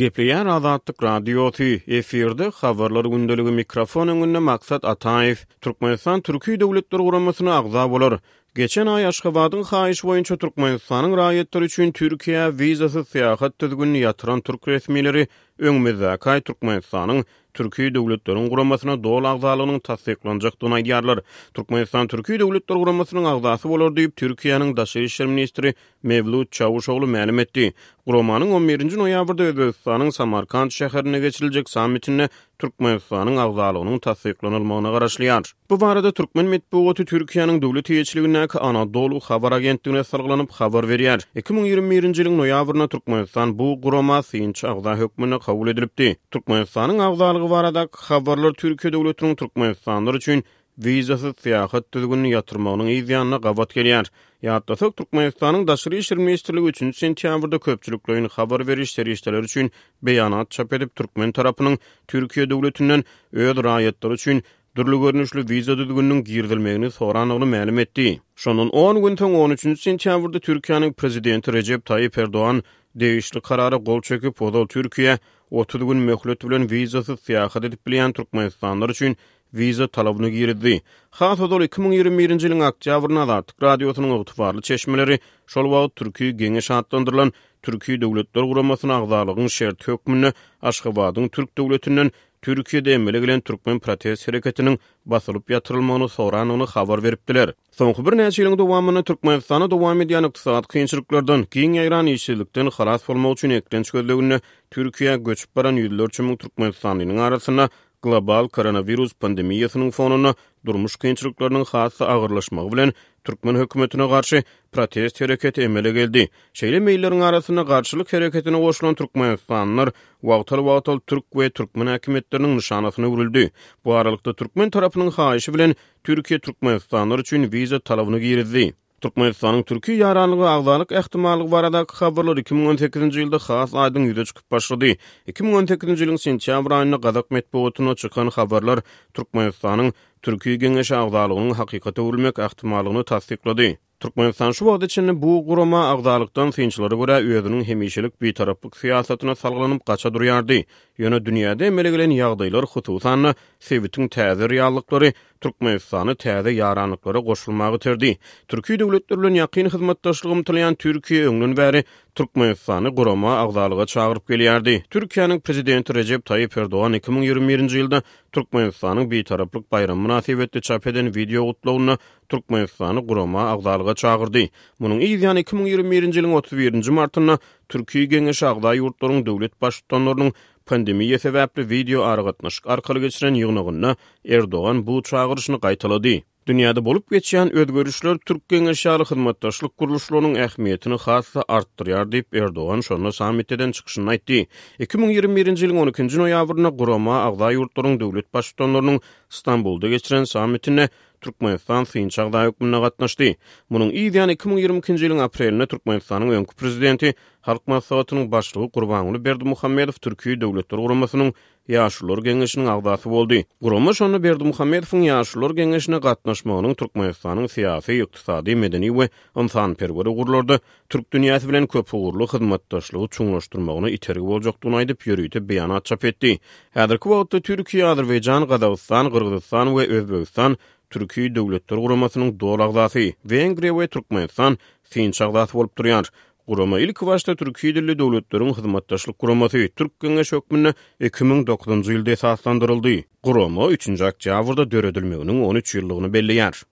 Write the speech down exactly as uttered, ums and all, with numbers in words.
Gepleýär Azatlyk Radiosy, efirde Habarlar gündeligi, mikrofon öňünde Maksat Ataýew. Türkmenistan Türki Döwletler Guramasyna agza bolar. Geçen aý Aşgabadyň haýyşy boýunça Türkmenistanyň raýatlary üçin Türkiýä wizasyz syýahat düzgünini ýatyran türk resmileri öňümizdäki aý Türkmenistanyň Türki Döwletleriň Guramasyna doly agzalygynyň tassyklanjakdygyny aýdýarlar. Türkmenistan Türki Döwletler Guramasynyň agzasy bolar diýip, Türkiýäniň Daşary işler ministri Mewlut Çawuşoglu mälim etdi. Guramanyň on birinji noýabrda Özbegistanyň Samarkant şäherinde geçiriljek sammitinde Türkmenistanyň agzalygynyň tassyklanylmagyna garaşylýar. Bu barada türkmen metbugaty Türkiýäniň döwlet eýeçiligindäki Anadolu habar agentligine salgylanyp habar berýär. Iki müň ýigrimi birinji ýylyň noýabrynda Türkmenistan bu gurama synçy agza hökmünde kabul edilipdi. Türkmenistanyň agzalygy baradaky habarlar Türkiýe döwletiniň türkmenistanlylar üçin wizasyz syýahat düzgünini ýatyrmagynyň yz ýanyna gabat gelýär. Ýatlasak, Türkmenistanyň Daşary işler ministrligi üçünji sentýabrda köpçülikleýin habar beriş serişdeleri üçin beýanat çap edip, türkmen tarapynyň Türkiýe döwletinden öz raýatlary üçin dürli görnüşli wiza düzgüniniň girizilmegini sorandygyny mälim etdi. Şondan on gün soň on üçünji sentýabrda Türkiýäniň prezidenti Rejep Taýyp Erdogan degişli karara gol çekip, ozal Türkiýä otuz gün möhlet bilen wizasyz syýahat edip bilýän türkmenistanlylar üçin wiza talabyny girizdi. Has ozal iki müň ýigrimi birinji ýylyň oktýabrynda Azatlyk Radiosynyň ygtybarly çeşmeleri şol wagt Türki Geňeş atlandyrylan Türki Döwletler Guramasyna agzalygyň şerti hökmünde Aşgabadyň türk döwletinden Türkiýede emele gelen türkmen protest hereketiniň basylyp ýatyrylmagyny sorandygyny habar beripdiler. Soňky birnäçe ýylyň dowamynda Türkmenistanda dowam edýän ykdysady kynçylyklardan, giň ýaýran işsizlikden halas bolmak üçin eklenç gözleginde Türkiýä göçüp baran ýüzlerçe müň türkmenistanlynyň arasynda global koronawirus pandemiýasynyň fonunda durmuş kynçylyklarynyň has-da agyrlaşmagy bilen türkmen hökümetine garşy protest hereketi emele geldi. Şeýle meýilleriň arasynda garşylyk hereketine goşulan türkmenistanlylar wagtal-wagtal türk we türkmen häkimiýetleriniň nyşanasyna öwrüldi. Bu aralykda türkmen tarapynyň haýyşy bilen Türkiýe türkmenistanlylar üçin wiza talabyny girizdi. Türkmenistanyň Türki ýaranlygy agzalyk ähtimallygy baradaky habarlar iki müň on sekizinji ýylda has aýdyň ýüze çykyp başlady. Iki müň on sekizinji ýylyň sentýabr aýynda gazak metbugatynda çykan habarlar Türkmenistanyň Türki Geňeşi agzalygynyň hakykata öwrülmek ähtimallygyny tassyklady. Türkmenistan şu wagta çenli bu gurama agzalykdan synçylara görä özüniň hemişelik bitaraplyk syýasatyna salgylanyp gaça durýardy. Ýöne dünýäde emele gelen ýagdaýlar, hususan-da sebitiň täze reallyklary Türkmenistany täze ýaranlyklara goşulmagy iterdi. Türki döwletler bilen ýakyn hyzmatdaşlyk ymtylýan Türkiýe öňden bäri Türkmenistany gurama agzalyga çagyryp gelýärdi. Türkiýäniň prezidenti Rejep Taýyp Erdogan iki müň ýigrimi birinji ýylda Türkmenistanyň bitaraplyk baýramy mynasybetli çap eden wideo gutlagynda Türkmenistany gurama agzalyga çagyrdy. Munuň yz ýany iki müň ýigrimi birinji ýylyň otuz birinji martynda Türki Geňeşi agza ýurtlaryň döwlet baştutanlarynyň pandemiýa sebäpli wideo aragatnaşyk arkaly geçiren ýygnagynda Erdogan bu çagyryşyny gaýtalady. Dünýäde bolup geçýän özgerişler Türk Geňeşi ýaly hyzmatdaşlyk gurluşlarynyň ähmiýetini has-da artdyrýar diýip Erdogan şonda sammitden çykyşynda aýtdy. Iki müň ýigrimi birinji ýylyň on ikinji noýabrynda gurama agza ýurtlaryň döwlet baştutanlarynyň Stambulda geçiren sammitinde Türkmenistan synçy agza hökmünde gatnaşdy. Munuň yz ýany iki müň ýigrimi ikinji ýylyň aprelinde Türkmenistanyň öňki prezidenti Halk Maslahatynyň başlygy Gurbanguly Berdimuhamedow Türki Döwletler Guramasynyň Ýaşulular Geňeşiniň agzasy boldy. Gurama şonda Berdimuhamedowyň Ýaşulular Geňeşine gatnaşmagynyň Türkmenistanyň syýasy, ykdysady, medeni we ynsanperwer ugurlarda türk dünýäsi bilen köpugurly hyzmatdaşlygy çuňlaşdyrmagyna itergi boljakdygyny aýdyp, ýörite beýanat çap etdi. Häzirki wagtda Türkiýe, Azerbaýjan, Gazagystan, Gyrgyzystan we Özbegistan Türki Döwletler Guramasynyň doly agzasy, Wengriýa we Türkmenistan synçy agzasy bolup durýar. Gurama ilki başda Türki dilli döwletleriň hyzmatdaşlyk guramasy Türk Geňeşi hökmünde iki müň dokuzynjy ýylda esaslandyryldy. Gurama üçünji oktýabrda döredilmeginiň on üç ýyllygyny belleýär.